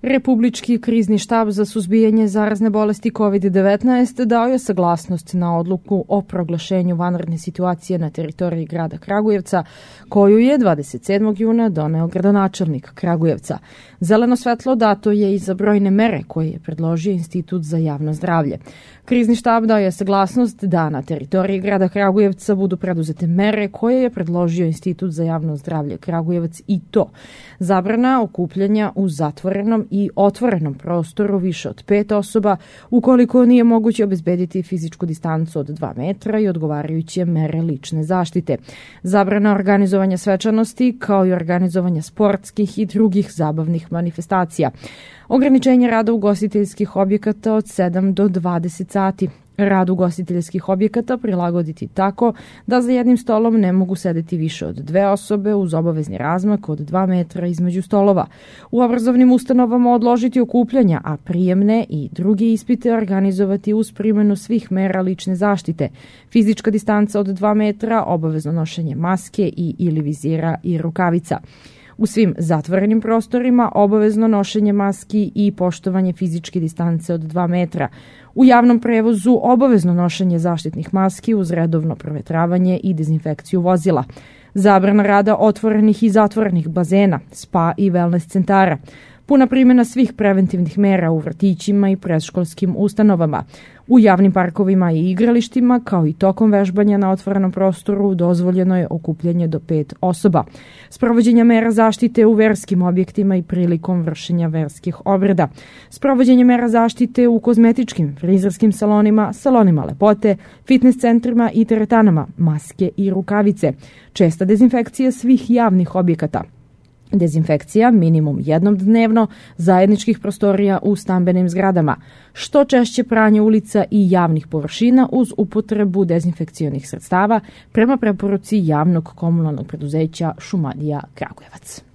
Republički krizni štab za suzbijanje zarazne bolesti COVID-19 dao je saglasnost na odluku o proglašenju vanredne situacije na teritoriji grada Kragujevca, koju je 27. juna doneo gradonačelnik Kragujevca. Zeleno svetlo dato je i za brojne mere koje je predložio Institut za javno zdravlje. Krizni štab dao je saglasnost da na teritoriji grada Kragujevca budu preduzete mere koje je predložio Institut za javno zdravlje Kragujevac, i to: zabrana okupljanja u zatvorenom i otvorenom prostoru više od 5 osoba ukoliko nije moguće obezbediti fizičku distancu od 2 metra i odgovarajuće mere lične zaštite. Zabrana organizovanja svečanosti kao i organizovanja sportskih i drugih zabavnih manifestacija. Ograničenje rada ugostiteljskih objekata od 7 do 20 sati. Rad ugostiteljskih objekata prilagoditi tako da za jednim stolom ne mogu sedeti više od 2 osobe uz obavezni razmak od 2 metra između stolova. U obrazovnim ustanovama odložiti okupljanja, a prijemne i druge ispite organizovati uz primjenu svih mera lične zaštite. Fizička distanca od 2 metra, obavezno nošenje maske i ili vizira i rukavica. U svim zatvorenim prostorima obavezno nošenje maski i poštovanje fizičke distance od 2 metra. U javnom prevozu obavezno nošenje zaštitnih maski uz redovno provetravanje i dezinfekciju vozila. Zabrana rada otvorenih i zatvorenih bazena, spa i wellness centara. Puna primjena svih preventivnih mera u vrtićima i predškolskim ustanovama. U javnim parkovima i igralištima, kao i tokom vežbanja na otvorenom prostoru, dozvoljeno je okupljanje do 5 osoba. Sprovođenje mera zaštite u verskim objektima i prilikom vršenja verskih obreda. Sprovođenje mera zaštite u kozmetičkim, frizerskim salonima, salonima lepote, fitness centrima i teretanama, maske i rukavice. Česta dezinfekcija svih javnih objekata. Dezinfekcija minimum jednom dnevno zajedničkih prostorija u stambenim zgradama. Što češće pranje ulica i javnih površina uz upotrebu dezinfekcionih sredstava prema preporuci javnog komunalnog preduzeća Šumadija Kragujevac.